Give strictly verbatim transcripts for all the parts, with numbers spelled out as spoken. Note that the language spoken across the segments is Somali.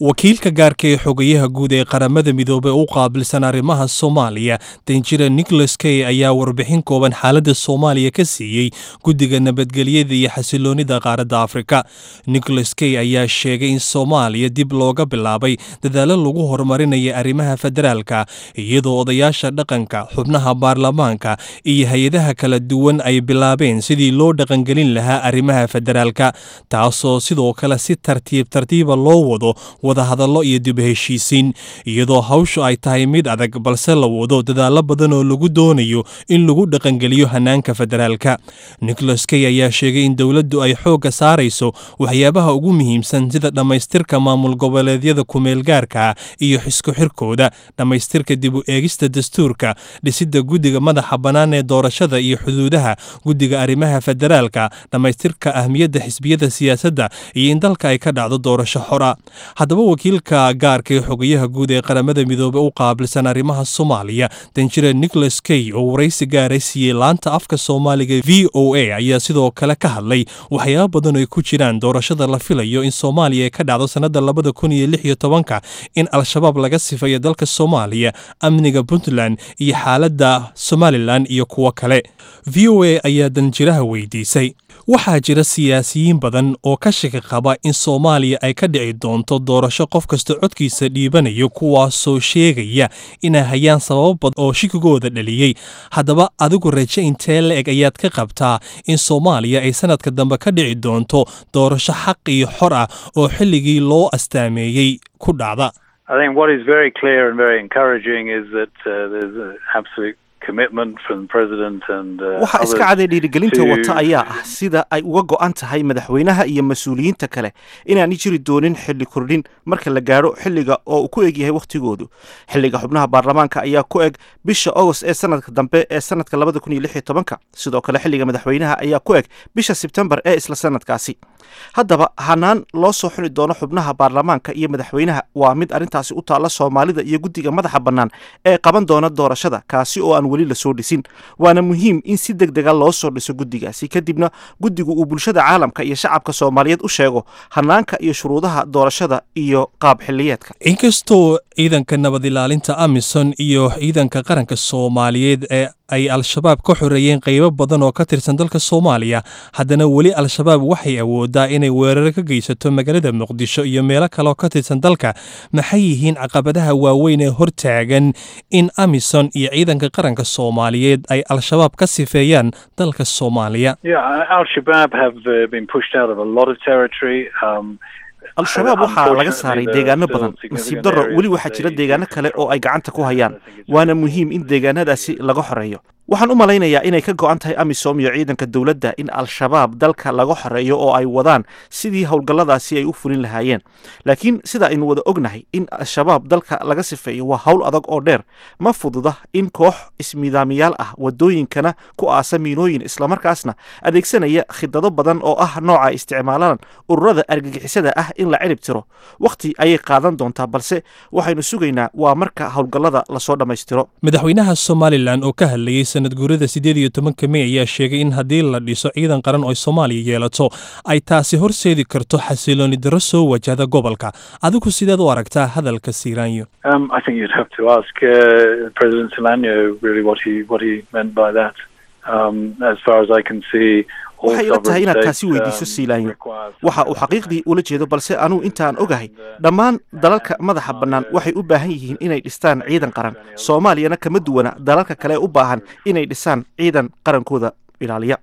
Wakiilka gaarka ee xogayaha guud ee Qaramada Midoobey u qaabilsan arrimaha Soomaaliya, danjira Nicholas Kay, ayaa warbixin kooban xaaladda Soomaaliya ka siiyey Guddiga Nabadgelyada iyo Xasiloonida Qaaradda Afrika. Nicholas Kay ayaa sheegay in Soomaaliya dib looga bilaabay dadaalo lagu horumarinaya arrimaha federaalka, iyadoo odayaasha dhaqanka, xubnaha baarlamaanka iyo hay-adaha kala duwan ay bilaabeen sidii loo dhaqangelin lahaa arrimaha federaalka, taasoo sidoo kale si tartiib tartiiba loo wado wadahadallo iyo dib heshiisiin, iyadoo hawshu ay tahay mid adag, balse la wado dadaallo badan oo lagu doonayo in lagu dhaqangeliyo hanaanka federaalka. Nicholas Kay ayaa sheegay in dowladdu ay xoogga saarayso waxyaabaha ugu muhiimsan, sida dhammaystirka maamul goboleedyada kumeelgaarka iyo xisku xirkooda, dhammaystirka dib u eegista dastuurka, dhisidda guddiga madaxa bannaan ee doorashada iyo xuduudaha, guddiga arrimaha federaalka, dhammaystirka ahmiyadda xisbiyada siyaasadda iyo in dalka ay ka dhacdo doorasho xora. Haddaba, wakiilka gaarka ee xogayaha guud ee Qaramada Midoobey u qaabilsan arrimaha Soomaaliya, danjira Nicholas Kay, oo waraysi gaara siiyey laanta afka Soomaaliga V O A, ayaa sidoo kale ka hadlay waxyaaba badan oo ay ku jiraan doorashada la filayo in Soomaaliya ay ka dhacdo sannada labada kun iyo lix iyo tobanka, in Al-Shabaab laga sifayo dalka Soomaaliya, amniga Puntland iyo xaaladda Somaliland iyo kuwo kale. V O A ayaa danjiraha weydiisay: waxaa jira siyaasiyiin badan oo ka shaki qaba in Soomaaliya ay ka dhici doonto doorasho qof kasta codkiisa dhiibanayo, kuwaasoo sheegaya inay hayaan sababo badan oo shikigooda dhaliyey. Haddaba, adigu raje intee la eg ayaad ka qabtaa in Soomaaliya ay sanadka dambe ka dhici doonto doorasho xaq iyo xor ah oo xilligii loo astaameeyey ku dhacda? I think what is very clear and very encouraging is that uh, there's an absolute commitment from the president and uh, Waxaa iska caday dhiirigelinta wata ayaa ah sida ay uga go'an tahay madaxweynaha iyo mas-uuliyiinta kale inaanay jiri doonin xilli kordhin marka la gaadho xilliga oo uu ku eg yahay wakhtigoodu. Xilliga xubnaha baarlamaanka ayaa ku eg bisha Agost ee sanadka dambe ee sanadka labada kun iyo lix iyo tobanka. Sidoo kale, xilliga madaxweynaha ayaa ku eg bisha Sebtembar ee isla sanadkaasi. Haddaba, hanaan loo soo xuli doono xubnaha baarlamaanka iyo madaxweynaha waa mid arrintaasi u taalla Soomaalida iyo guddiga madaxa bannaan ee qaban doona doorashada, kaasi oo aan weli lasoo dhisin. Waana muhiim in si deg dega loo soo dhiso guddigaasi, kadibna guddigu uu bulshada caalamka iyo shacabka Soomaaliyeed u sheego hanaanka iyo shuruudaha doorashada iyo qaab xilliyeedka. Inkastoo ciidanka nabad ilaalinta AMISOM iyo ciidanka qaranka Soomaaliyeed ee ay Al-Shabaab ka xoreeyeen qaybo badan oo ka tirsan dalka Soomaaliya, haddana weli Al-Shabaab waxay awoodaa inay weeraro ka geysato magaalada Muqdisho iyo meelo kale oo ka tirsan dalka. Maxay yihiin caqabadaha waaweyn ee hortaagan in AMISOM iyo ciidanka qaranka Soomaaliyeed ay Al-Shabaab ka sifeeyaan dalka Soomaaliya? Yeah, Al-Shabaab have uh, been pushed out of a lot of territory. Um, Al-Shabaab waxaa laga saaray deegaano badan. Nasiib darro, weli waxaa jira deegaano kale oo ay gacanta ku hayaan, waana muhiim in deegaanadaasi laga xoreeyo. Waxaan u malaynayaa inay ka go'an tahay AMISOM iyo ciidanka dowladda in Al-Shabaab dalka laga xoreeyo oo ay wadaan sidii howlgalladaasi ay u fulin lahaayeen. Laakiin sida aynu wada ognahay, in Al-Shabaab dalka laga sifeeyo waa hawl adag oo dheer. Ma fududa in koox ismidaamiyaal ah, wadooyinkana ku aasa miinooyin, islamarkaasna adeegsanaya khidado badan oo ah nooca ay isticmaalaan ururada argagixisada ah, in la cirib tiro. Wakhti ayay qaadan doontaa, balse waxaynu sugaynaa waa marka howlgallada lasoo dhammaystiro. Madaxweynaha Somaliland oo ka hadlayey sanad guurada sideed iyo tobanka Mey ayaa sheegay in haddii la dhiso ciidan qaran oo Soomaaliya yeelato, ay taasi horseedi karto xasilooni darro soo wajahda gobolka. Adigu sideed u aragtaa hadalka Siilaanyo? Um, I think you'd have to ask uh, President Silanyo really what he what he meant by that. Um, as far as I can see, Waxay ila tahay inaad taasi weydiiso Siilaanyo waxa uu xaqiiqdii ula jeedo, balse anuu intaan ogahay, dhammaan dalalka madaxa bannaan waxay u baahan yihiin inay dhistaan ciidan qaran. Soomaaliyana kama duwana dalalka kale u baahan inay dhisaan ciidan qarankooda ilaaliya.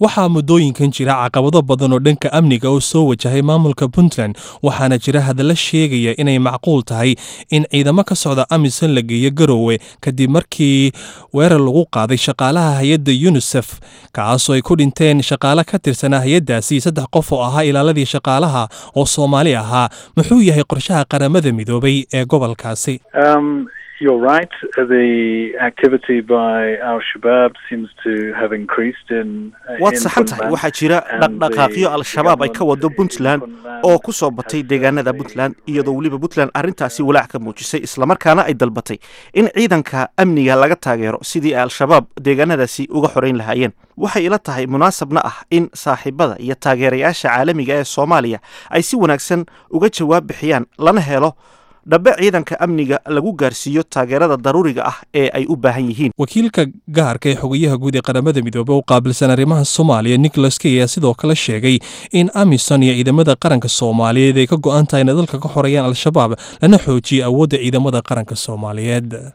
Waxaa muddooyinkan jira caqabado badan oo dhanka amniga oo soo wajahay maamulka Puntland, waxaana jira hadallo sheegaya inay macquul tahay in ciidamo ka socda AMISOM la geeyo Garowe, kadib markii weerar lagu qaaday shaqaalaha hay-adda UNICEF, kaasoo ay ku dhinteen shaqaale ka tirsanaa hay-addaasi, saddex qof oo ahaa ilaaladii shaqaalaha oo Soomaali ahaa. Muxuu yahay qorshaha Qaramada Midoobay ee gobolkaasi? Um, You're right. The activity by Al Shabaab seems to have increased in. Waad saxan tahay, waxaa jira dhaqdhaqaaqyo Al-Shabaab ay ka wado Puntland oo ku soo batay deegaanada Puntland, iyadoo weliba Puntland arrintaasi walaac ka muujisay, islamarkaana ay dalbatay in ciidanka amniga laga taageero sidii ay Al-Shabaab deegaanadaasi uga xoreyn lahaayeen. Waxay ila tahay, munaasabna ah, in saaxiibada iyo taageerayaasha caalamiga ee Soomaaliya ay si wanaagsan uga jawaab bixiyaan, lana helo dhabe ciidanka amniga lagu gaarsiiyo taageerada daruuriga ah ee ay u baahan yihiin. Wakiilka gaarka ee xogayaha guud ee Qaramada Midoobey u qaabilsan arrimaha Soomaaliya, Nicholas Kay, ayaa sidoo kale sheegay in AMISOM iyo ciidamada qaranka Soomaaliyeed ay ka go'an tahay inay dalka ka xoreeyaan Al-Shabaab, lana xoojiyo awoodda ciidamada qaranka Soomaaliyeed.